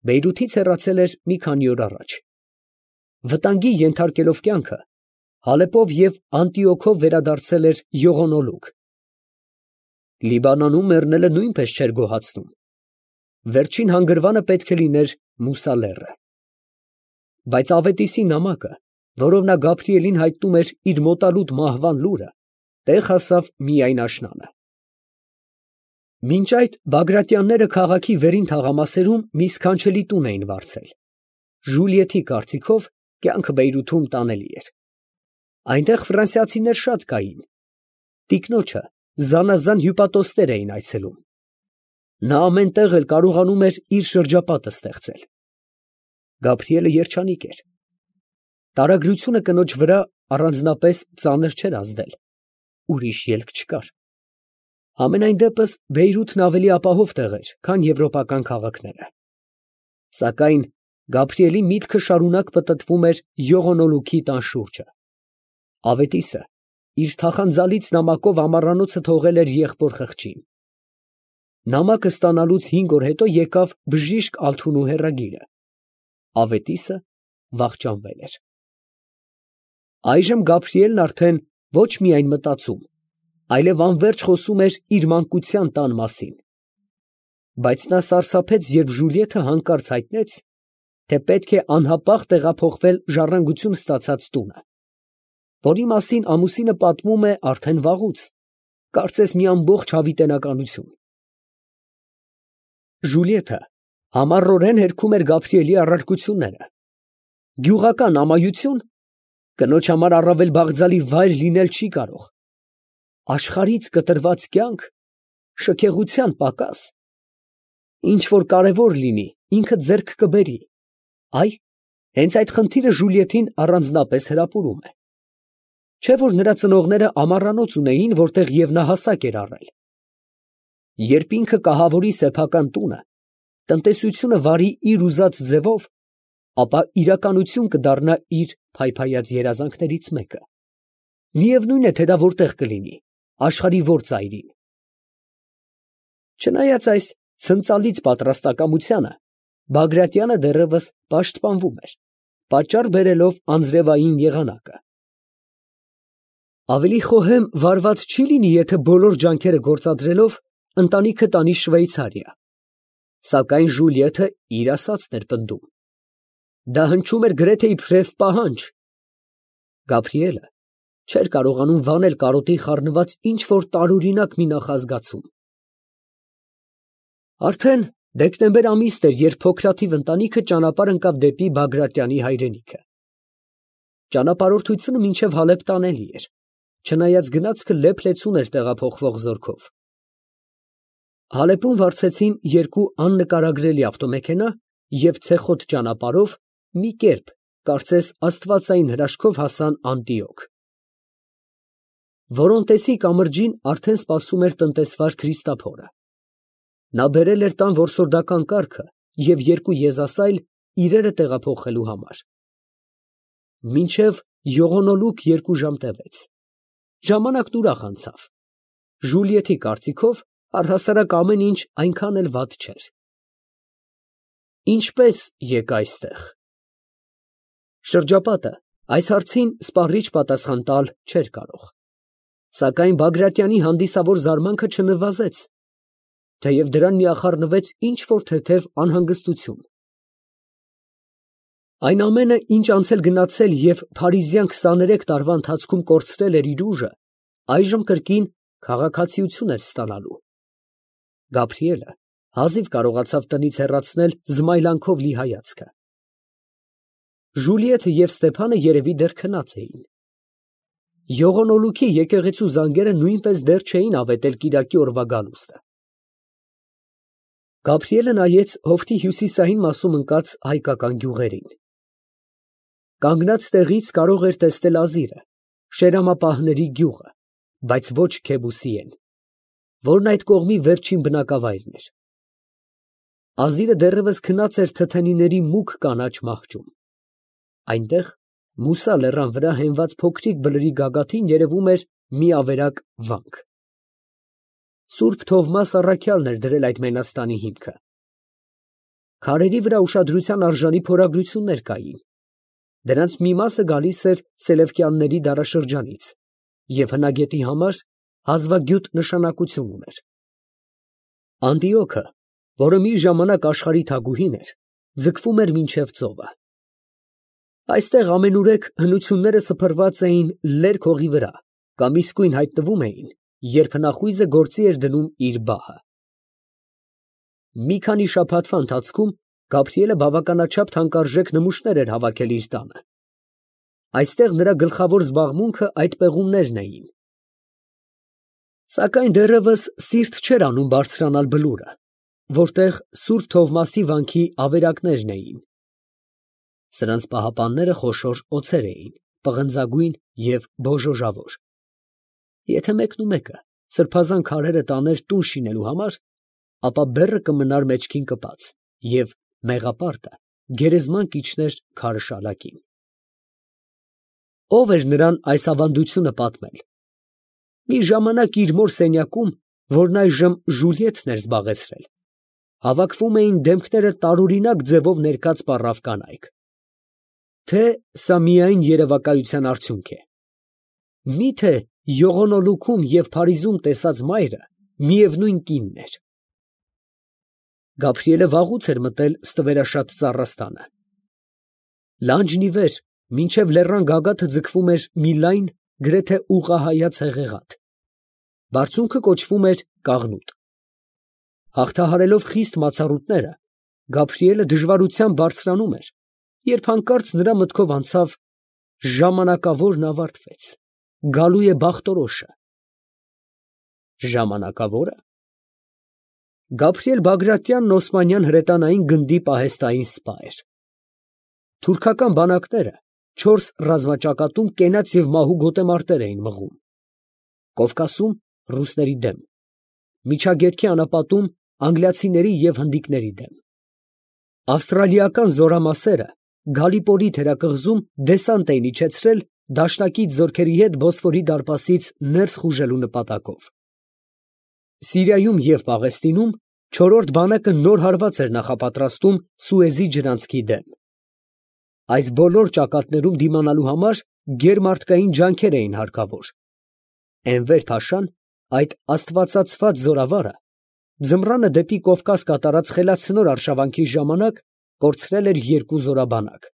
Բեյրութից հեռացել էր մի քանի օր առաջ։ Վտանգի ենթարկելով կյանքը, Հալեպով և Անտիոքով վերադարձել էր յողոնոլուկ։ Լիբանանում մեռնելը նույնպես չէր գոհացնում։ Վերջին հանգրվանը պետք է լիներ Մուսա լեռը։ Բայց Ավետիսի նամակը, որով նա Գաբրիելին հայտնում էր իր մոտալուտ մահվան լուրը, տեղ հասավ միայն աշնանը։ Մինչ այդ Բագրատյանները քաղաքի վերին թաղամասերում մի սքանչելի տուն էին վարձել։ Ժուլիեթի կարծիքով կյանքը Բեյրութում տանելի էր։ Այնտեղ ֆրանսիացիներ շատ կային։ Տիկնոջը զանազան հյուպատոսներ էին այցելում։ Նա ամեն տեղ էլ կարողանում էր իր շրջապատը ստեղծել։ Գաբրիելը երջանիկ էր։ Տարագրությունը կնոջ վրա առանձնապես ծանր չէր ազդել։ Ուրիշ ելք չկար։ Համենայն դեպս Բեյրութն ավելի ապահով տեղ էր, քան եվրոպական քաղաքները։ Սակայն Գաբրիելի միտքը շարունակ պտտվում էր յողոնոլուքի տան շուրջը։ Ավետիսը իր թախանձալից նամակով ամառանոցը թողել էր եղբոր խղճին։ Նամակը ստանալուց 5 օր հետո եկավ բժիշկ Ալթունու հեռագիրը։ Ավետիսը վախճանվել էր։ Այժմ Գաբրիելն արդեն ոչ միայն մտածում, այլև անվերջ խոսում էր իր մանկության տան մասին։ Բայց նա սարսափեց, երբ Ժուլիեթը հանկարծ հայտնեց, թե պետք է անհապաղ տեղափոխվել ժառանգություն ստացած տունը, որի մասին ամուսինը պատմում է արդեն վաղուց, կարծես մի ամբողջ հավիտենականություն։ Ժուլիեթը համառորեն հերքում էր Գաբրիելի առարկությունները։ Գյուղական ամայություն կնոջ համար առավել բաղձալի վայր լինել չի կարող։ Աշխարհից կտրված կյանք, շքեղության պակաս, ինչ որ կարևոր լինի, ինքը ձեռք կբերի։ Այ, հենց այդ խնդիրը Ժուլիեթին առանձնապես հրապուրում է։ Չէ՞ որ նրա ծնողները ամառանոց ունեին, որտեղ և նա հասակ էր առել։ Երբ ինքը կահավորի սեփական տունը, տնտեսությունը վարի իր ուզած ձևով, ապա իրականություն կդառնա իր փայփայած երազանքներից մեկը։ Միևնույն է, թե դա որտեղ կլինի, աշխարհի որ ծայրին։ Չնայած այս ցնծալից պատրաստակամությանը, Բագրատյանը դեռևս պաշտպանվում էր, պատճառ բերելով անձրևային եղանակը։ Ավելի խոհեմ վարված չի լինի, եթե բոլոր ջանքերը գործադրելով ընտանիքը տանի Շվեյցարիա։ Սակայն Ժուլիեթը իր ասածն էր պնդում։ Դա հնչում էր գրեթե իբրև պահանջ։ Գաբրիելը չէր կարողանում վանել կարոտի խառնված ինչ որ տարօրինակ մի նախազգացում։ Արդեն դեկտեմբեր ամիսն էր, երբ փոքրաթիվ ընտանիքը ճանապարհ ընկավ դեպի Բագրատյանի հայրենիքը։ Ճանապարհորդությունը մինչև Հալեբ տանելի էր, չնայած գնացքը լեփ-լեցուն էր տեղափոխվող զորքով։ Հալեպում վարձեցին 2 աննկարագրելի ավտոմեքենա և ցեխոտ ճանապարհով մի կերպ, կարծես աստվածային հրաշքով հասան Անտիոք։ Որոնտեսի կամրջին արդեն սպասում էր տնտեսվար Քրիստափորը։ Նա բերել էր տան որսորդական կառքը և 2 եզասայլ իրերը տեղափոխելու համար։ Մինչև յողոնոլուկ 2 ժամ տևեց։ Ժամանակն ուրախ անցավ։ Ժուլիեթի կարծիքով առհասարակ ամեն ինչ այնքան էլ վատ չէր։ Ինչպե՞ս եկա այստեղ։ Շրջապատը այս հարցին սպառիչ պատասխան տալ չէր կարող։ Սակայն Բագրատյանի հանդիսավոր զարմանքը չնվազեց, թեև դրան միախառնվեց ինչ որ թեթև անհանգստություն։ Այն ամենը, ինչ անցել գնացել և փարիզյան 23 տարվա ընթացքում կորցրել էր իր ուժը, այժմ կրկին քաղաքացիություն էր ստանալու։ Գաբրիելը հազիվ կարողացավ տնից հեռացնել զմայլանքով լի հայացքը։ Ժուլիեթը և Ստեփանը երևի դեռ քնած էին։ Յողոնոլուքի եկեղեցու զանգերը նույնպես դեռ չէին ավետել կիրակի օրվա գալուստը։ Գաբրիելը նայեց հովտի հյուսիսային մասում ընկած հայկական գյուղերին։ Կանգնած տեղից կարող էր տեսնել Ազիրը, Շերամապահների գյուղը, բայց ոչ Քեբուսիեն, որն այդ կողմի վերջին բնակավայրն էր։ Ազիրը դեռևս քնած էր թթենիների մուգ կանաչ մահճում։ Այնտեղ, Մուսա լեռան վրա հենված փոքրիկ բլրի գագաթին երևում էր մի ավերակ վանք։ Սուրբ Թովմաս առաքյալն էր դրել այդ մենաստանի հիմքը։ Քարերի վրա ուշադրության արժանի փորագրություններ կային։ Դրանց մի մասը գալիս էր Սելևկյանների դարաշրջանից և հնագետի համար հազվագյուտ նշանակություն ուներ։ Անդիոքը, որը մի ժամանակ աշխարհի թագուհին էր, ձգվում էր մինչև ծովը։ Այստեղ ամենուրեք հնությունները սփռված էին լերկ հողի վրա կամ իսկույն հայտնվում էին, երբ հնախույզը գործի էր դնում իր բահը։ Մի քանի շաբաթվա ընթացքում Գաբրիելը բավականաչափ թանկարժեք նմուշներ էր հավաքել իր տանը։ Այստեղ նրա գլխավոր զբաղմունքը այդ պեղումներն էին։ Սակայն դեռևս սիրտ չէր անում բարձրանալ բլուրը, որտեղ Սուրբ Թովմասի վանքի ավերակներն էին։ Սրանց պահապանները խոշոր օձեր էին, պղնձագույն և բոժոժավոր։ Եթե մեկնումեկը սրբազան քարերը տաներ տուն շինելու համար, ապա բեռը կմնար մեջքին կպած, և մեղապարտը գերեզման կիջներ քարը շալակին։ Ո՞վ էր նրան այս ավանդությունը պատմել։ Մի ժամանակ իր մոր սենյակում, որն այժմ Ժուլիետն էր զբաղեցրել, հավաքվում էին դեմքները տարօրինակ ձևով ներկած պառավ կանայք։ Թե սա միայն երևակայության արդյունք է։ Միթե յողոնոլուքում և Փարիզում տեսած մայրը միևնույն կինն էր։ Գաբրիելը վաղուց էր մտել ստվերաշատ ծառաստանը։ Լանջն ի վեր, մինչև լեռան գագաթը ձգվում էր մի լայն, գրեթե ուղղահայաց հեղեղատ։ Բարձունքը կոչվում էր Կաղնուտ։ Հաղթահարելով խիստ մացառուտները, Գաբրիելը դժվարությամբ բարձրանում էր, երբ հանկարծ նրա մտքով անցավ. ժամանակավորն ավարտվեց, գալու է բախտորոշը։ Ժամանակավո՞րը։ Գաբրիել Բագրատյանն Օսմանյան հրետանային գնդի պահեստային սպա էր։ Թուրքական բանակները 4 ռազմաճակատում կենաց և մահու գոտեմարտեր էին մղում։ Կովկասում ռուսների դեմ, Միջագետքի անապատում անգլիացիների և հնդիկների դեմ։ Ավստրալիական զորամասերը Գալիպորի թերակղզում դեսանտ էին իջեցրել դաշնակից զորքերի հետ Բոսֆորի դարպասից ներս խուժելու նպատակով։ Սիրիայում և Պաղեստինում չորրորդ բանակը նոր հարված էր նախապատրաստում Սուեզի ջրանցքի դեմ։ Այս բոլոր ճակատներում դիմանալու համար գերմարտկային ջանքեր էին հարկավոր։ Էնվեր փաշան, այդ աստվածածված զորավարը, ձմռանը դեպի Կովկաս կատարած խելացնոր արշավանքի ժամանակ կորցրել էր 2 զորաբանակ։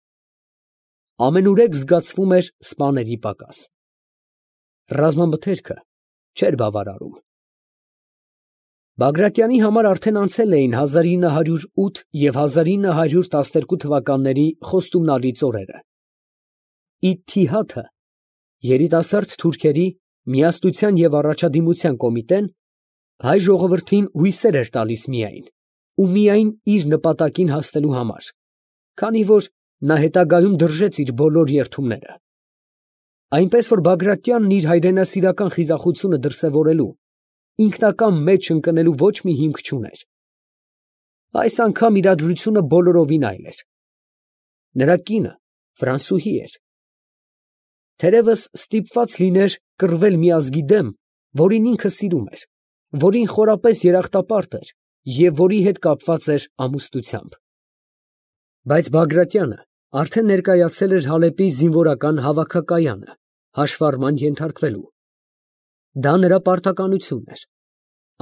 Ամենուրեք զգացվում էր սպաների պակաս։ Ռազմամթերքը չէր բավարարում։ Բագրատյանի համար արդեն անցել էին 1908 և 1912 թվականների խոստումնալից օրերը։ Իթթիհադը, երիտասարդ թուրքերի միասնության և առաջադիմության կոմիտեն, հայ ժողովրդին հույսեր էր տալիս միայն, ու միայն իր նպատակին հասնելու համար, քանի որ նա հետագայում դրժեց իր բոլոր երդումները։ Այնպես որ Բագրատյանն իր հայրենասիրական խիզախությունը դրսևորելու, ինքնակամ մեջ ընկնելու ոչ մի հիմք չուներ։ Այս անգամ իրադրությունը բոլորովին այլ էր։ Նրա կինը ֆրանսուհի էր։ Թերևս ստիպված լիներ կռվել մի ազգի դեմ, որին ինքը սիրում էր, որին խորապես երախտապարտ էր և որի հետ կապված էր ամուսնությամբ։ Բայց Բագրատյանը արդեն ներկայացել էր Հալեպի զինվորական հավաքակայանը, հաշվառման ենթարկվելու։ Դա նրա պարտականությունն էր,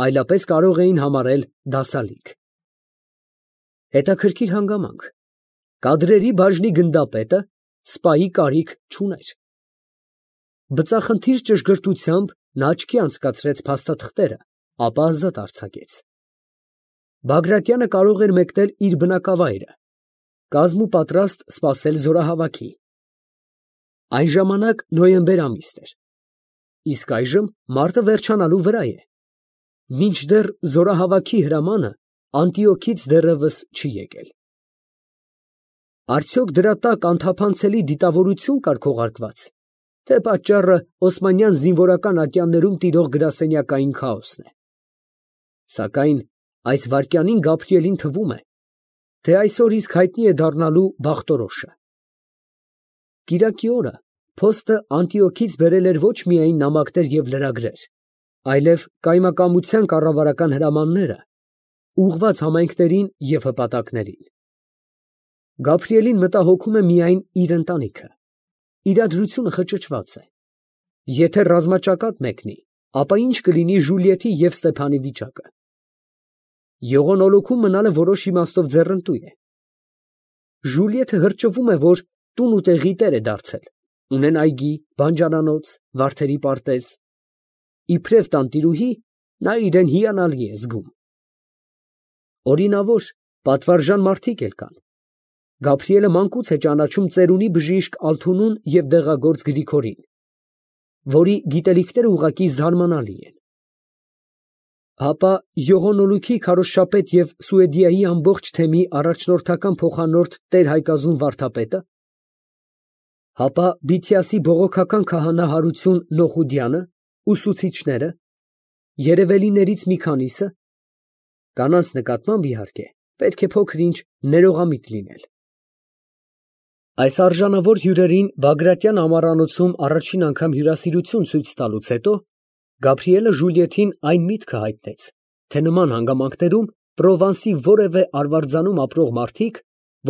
այլապես կարող էին համարել դասալիկ։ Հետաքրքիր հանգամանք. կադրերի բաժնի գնդապետը սպայի կարիք չուներ։ Բծախնդիր ճշգրտությամբ նա աչքի անցկացրեց փաստաթղթերը, ապա ազատ արձակեց։ Բագրատյանը կարող էր մեկնել իր բնակավայրը, կազմուպատրաստ սպասել զորահավաքի։ Այն ժամանակ նոյեմբեր ամիսն էր, իսկ այժմ մարտը վերջանալու վրա է։ Մինչդեռ զորահավաքի հրամանը Անտիոքից դեռևս չի եկել։ Արդյոք դրա տակ անթափանցելի դիտավորություն կար քողարկված, թե պատճառը օսմանյան զինվորական ատյաններում տիրող գրասենյակային քաոսն է։ Սակայն այս վայրկյանին Գաբրիելին թվում է, թե այսօր իսկ հայտնի է դառնալու բախտորոշը։ Կիրակի օրը փոստը Անտիոքից բերել էր ոչ միայն նամակներ և լրագրեր, այլև կայմակամության կառավարական հրամանները, ուղղված համայնքներին և հպատակներին։ Գաբրիելին մտահոգում է միայն իր ընտանիքը։ Իրադրությունը խճճված է։ Եթե ռազմաճակատ մեկնի, ապա ի՞նչ կլինի Ժուլիետի և Ստեփանի վիճակը։ Ողոնոլուքում մնալը որոշ իմաստով ձեռնտու է։ Ժուլիետը հրճվում է, որ տուն ու տեղի տեր է դարձել, ունեն այգի, բանջարանոց, վարդերի պարտեզ։ Իբրև տանտիրուհի, նա իրեն հիանալի է զգում։ Օրինավոր, պատվարժան մարդիկ էլ կան։ Գաբրիելը մանկուց է ճանաչում ծերունի բժիշկ Ալթունուն և դեղագործ Գրիգորին, որի գիտելիքները ուղղակի զարմանալի են։ Հապա ողոնոլուքի քարոզչապետ և Սուեդիայի ամբողջ թեմի առաջնորդական փոխանորդ տեր Հայկազուն վարդապետը։ Հապա Բիթիասի բողոքական քահանա Հարություն Լոխուդյանը, ուսուցիչները, երևելիներից մի քանիսը, կանանց նկատմամբ, իհարկե, պետք է փոքր-ինչ ներողամիտ լինել։ Այս արժանավոր հյուրերին Բագրատյան ամառանոցում առաջին անգամ հյուրասիրություն ցույց տալուց հետո Գաբրիելը Ժուլիետին այն միտքը հայտնեց, թե նման հանգամանքներում Պրովանսի որևէ արվարձանում ապրող մարդիկ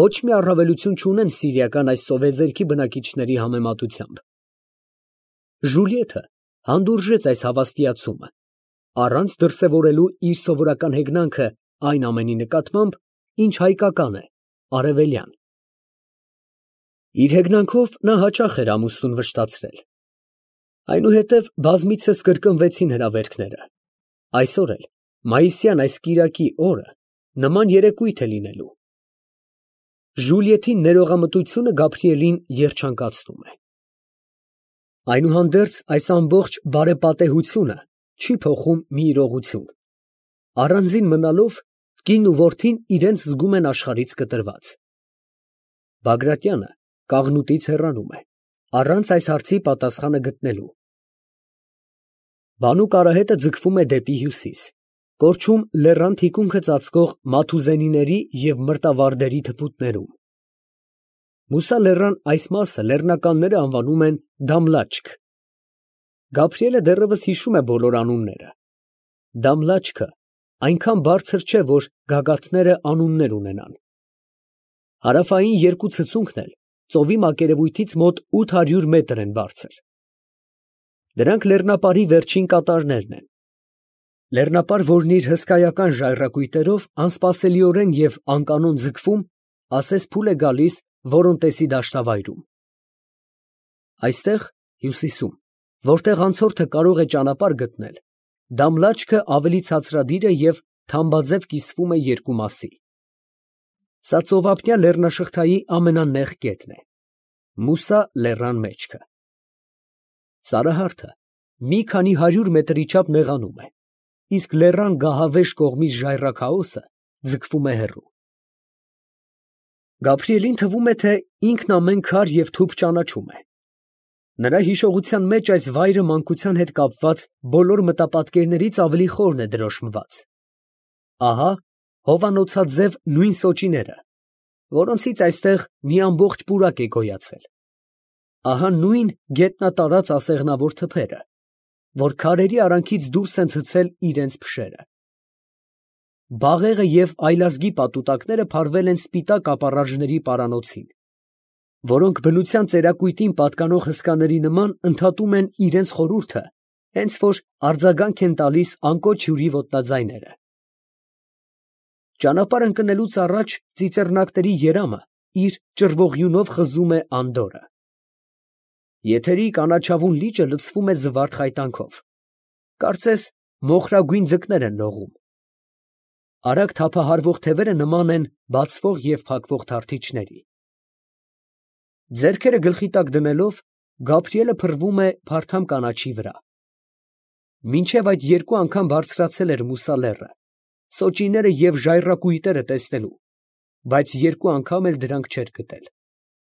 ոչ մի առավելություն չունեն սիրիական այս սովեզերքի բնակիչների համեմատությամբ։ Ժուլիետը հանդուրժեց այս հավաստիացումը, առանց դրսևորելու իր սովորական հեգնանքը այն ամենի նկատմամբ, ինչ հայկական է, արևելյան։ Իր հեգնանքով նա հաճախ էր ամուսնուն վշտացրել։ Այնուհետև բազմիցս կրկնվեցին հրավերքները։ Այսօր էլ, մայիսյան այս կիրակի օրը, նման երեկույթ է լինելու։ Ժուլիետի ներողամտությունը Գաբրիելին երջանկացնում է։ Այնուհանդերձ այս ամբողջ բարեպատեհությունը չի փոխում մի իրողություն։ Առանձին մնալով, կինն ու որդին իրենց զգում են աշխարհից կտրված։ Բագրատյանը կաղնուտից հեռանում է, առանց այս հարցի պատասխանը գտնելու։ Բանուկ արահետը ձգվում է դեպի հյուսիս, կորչում լեռան թիկունքը ծածկող Մաթուզենիների և մրտավարդերի թփուտներում։ Մուսա լեռան այս մասը լեռնականները անվանում են Դամլաչք։ Գաբրիելը դեռևս հիշում է բոլոր անունները։ Դամլաչքը այնքան բարձր չէ, որ գագաթները անուններ ունենան։ Հարավային երկու ցցունքն էլ ծովի մակերևույթից մոտ 800 մետր են բարձր։ Դրանք լեռնապարի վերջին կատարներն են։ Լեռնապար, որն իր հսկայական ժայռակույտերով անսպասելիորեն և անկանոն ձգվում, ասես փուլ է գալիս Որոնտեսի դաշտավայրում։ Այստեղ, հյուսիսում, որտեղ անցորդը կարող է ճանապարհ գտնել, Դամլաչքը ավելի ցածրադիր է և թամբաձև կիսվում է երկու մասի։ Սա ծովափնյա լեռնաշղթայի ամենանեղ կետն է, Մուսա լեռան մեջքը։ Սարահարթը մի քանի 100 մետրի չափ նեղանում է, իսկ լեռան գահավեժ կողմից ժայռաքաոսը ձգվում է հեռու։ Գաբրիելին թվում է, թե ինքն ամեն քար և թուփ ճանաչում է։ Նրա հիշողության մեջ այս վայրը մանկության հետ կապված բոլոր մտապատկերներից ավելի խորն է դրոշմված։ Ահա հովանոցաձև նույն սոճիները, որոնցից այստեղ մի ամբողջ պուրակ է գոյացել։ Ահա նույն գետնատարած ասեղնավոր թփերը, որ քարերի արանքից դուրս են ցցել իրենց փշերը։ Բաղեղը և այլազգի պատուտակները փարվել են սպիտակ ապառաժների պարանոցին, որոնք բնության ծերակույտին պատկանող հսկաների նման ընդհատում են իրենց խորհուրդը, հենց որ արձագանք են տալիս անկոչ հյուրի ոտնաձայները։ Ճանապարհ ընկնելուց առաջ ծիծեռնակների երամը իր ճռվողյունով խզում է անդորրը։ Եթերի կանաչավուն լիճը լցվում է զվարթ խայտանքով, կարծես մոխրագույն ձկներ են լողում։ Արագ թափահարվող թևերը նման են բացվող և փակվող թարթիչների։ Ձեռքերը գլխի տակ դնելով, Գաբրիելը փռվում է փարթամ կանաչի վրա։ Մինչև այդ երկու անգամ բարձրացել էր Մուսա լեռը, սոճիները և ժայռակույտերը տեսնելու, բայց երկու անգամ էլ դրանք չէր գտել։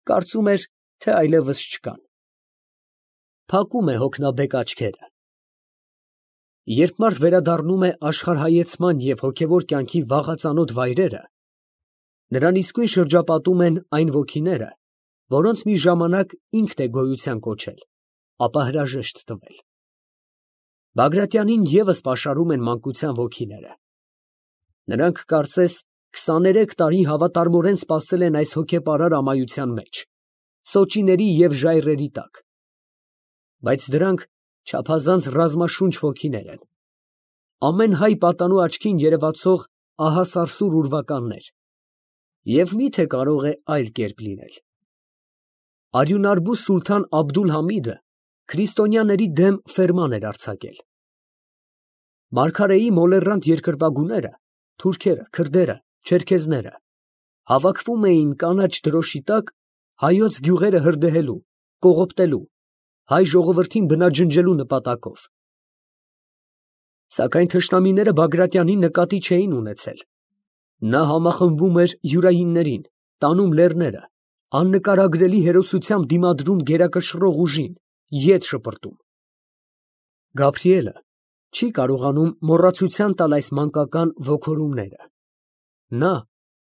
Կարծում էր, թե այլևս չկան։ Փակում է հոգնաբեկ աչքերը։ Երբ մարդ վերադառնում է աշխարհայեցման և հոգևոր կյանքի վաղածանոթ վայրերը, նրան իսկույն շրջապատում են այն ոգիները, որոնց մի ժամանակ ինքն է գոյության կոչել, ապա հրաժեշտ տվել։ Բագրատյանին ևս պաշարում են մանկության ոգիները։ Նրանք կարծես 23 տարի հավատարմորեն սպասել են այս հոգեպարար ամայության մեջ, սոճիների և ժայռերի տակ, բայց դրանք չափազանց ռազմաշունչ ոգիներ են, ամեն հայ պատանու աչքին երևացող ահասարսուռ ուրվականներ, և մի՞թե կարող է այլ կերպ լինել։ Արյունարբու սուլթան Աբդուլ֊Համիդը քրիստոնյաների դեմ ֆերման էր արձակել։ Մարգարեի մոլեռանդ երկրպագուները, թուրքերը, քրդերը, չերքեզները հավաքվում էին կանաչ դրոշի տակ հայոց գյուղերը հրդեհելու, կողոպտելու, հայ ժողովրդին բնաջնջելու նպատակով։ Սակայն թշնամիները Բագրատյանին նկատի չէին ունեցել։ Նա համախմբում էր յուրայիններին, տանում լեռները, աննկարագրելի հերոսությամբ դիմադրում գերակշռող ուժին, ետ շպրտում։ Գաբրիելը չի կարողանում մոռացության տալ այս մանկական ոգորումները։ Նա,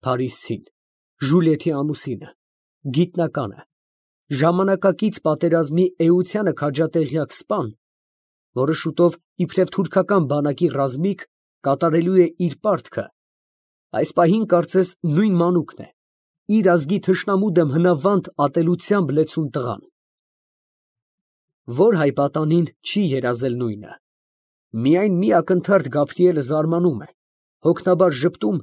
փարիսցին, Ժուլիետի ամուսինը, գիտնականը, ժամանակակից պատերազմի էությանը քաջատեղյակ սպան, որը շուտով իբրև թուրքական բանակի ռազմիկ կատարելու է իր պարտքը, այս պահին կարծես նույն մանուկն է, իր ազգի թշնամու դեմ հնավանդ ատելությամբ լեցուն տղան։ Ո՞ր հայ պատանին չի երազել նույնը։ Միայն մի ակնթարթ Գաբրիելը զարմանում է, հոգնաբար ժպտում,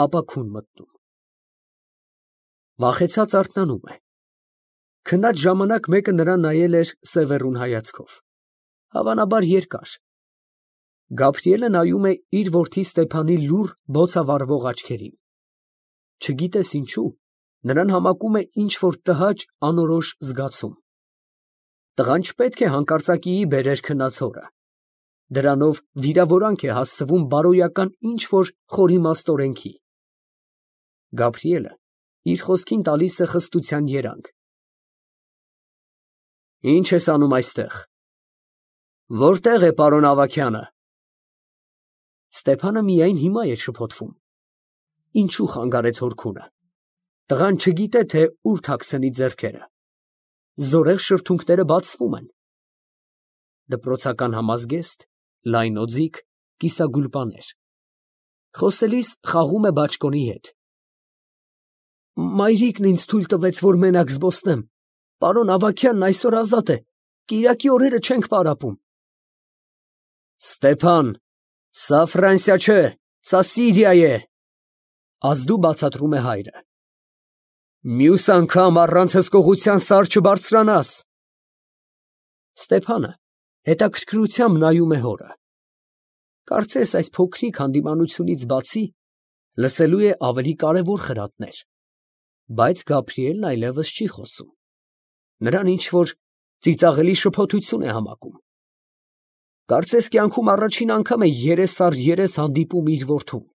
ապա քուն մտնում։ Վախեցած արթնանում է։ Քնած ժամանակ մեկը նրան նայել էր սևեռուն հայացքով, հավանաբար երկար։ Գաբրիելը նայում է իր որդի Ստեփանի լուռ բոցավառվող աչքերին։ Չգիտես ինչու, նրան համակում է ինչ֊որ տհաճ, անորոշ զգացում։ Տղան չպետք է հանկարծակիի բերեր քնած հորը։ Դրանով վիրավորանք է հասցվում բարոյական ինչ֊որ խորիմաստ օրենքի։ Գաբրիելը իր խոսքին տալիս է խստության երանգ։ Ի՞նչ ես անում այստեղ։ Որտե՞ղ է պարոն Ավագյանը։ Ստեփանը միայն հիմա է շփոթվում։ Ինչու խանգարեց հոր քունը։ Տղան չգիտե, թե ուր թաքցնի ձեռքերը։ Զորեղ շրթունքները բացվում են։ Դպրոցական համազգեստ, լայն օձիք, կիսագուլպաներ։ Խոսելիս խաղում է բաճկոնի հետ։ Մայրիկն ինձ թույլ տվեց, որ մենակ զբոսնեմ։ Պարոն Ավագյանն այսօր ազատ է, կիրակի օրերը չենք պարապում։ Ստեփան, սա Ֆրանսիա չէ, սա Սիրիա է, ազդու բացատրում է հայրը։ Մյուս անգամ առանց հսկողության սար չբարձրանաս։ Ստեփանը հետաքրքրությամբ նայում է հորը։ Կարծես այս փոքրիկ հանդիմանությունից բացի լսելու է ավելի կարևոր խրատներ, բայց Գաբրիելն այլևս չի խոսում։ Նրան ինչ֊որ ծիծաղելի շփոթություն է համակում։ Կարծես կյանքում առաջին անգամ է երես առ երես հանդիպում իր որդուն։